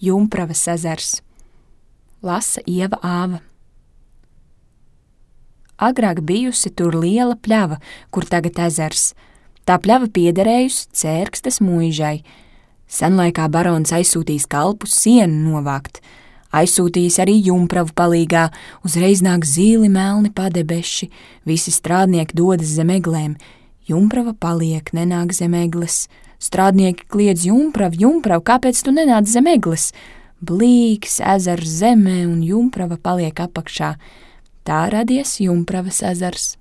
Jumpravas ezers. Lasa Ieva Āva. Agrāk bijusi tur liela pļava, kur tagad ezers. Tā pļava piederējusi Cērkstes muižai. Senlaikā barons aizsūtījis kalpus sienu novākt. Aizsūtījis arī Jumpravu palīgā, uzreiz nāk zīli melni padebeši, visi strādnieki dodas zem eglēm. Jumprava paliek, nenāk zem egles. Strādnieki kliedz: Jumprav, Jumprav, kāpēc tu nenāc zem egles? Blīks ezers zemē un Jumprava paliek apakšā. Tā radies Jumpravas ezers.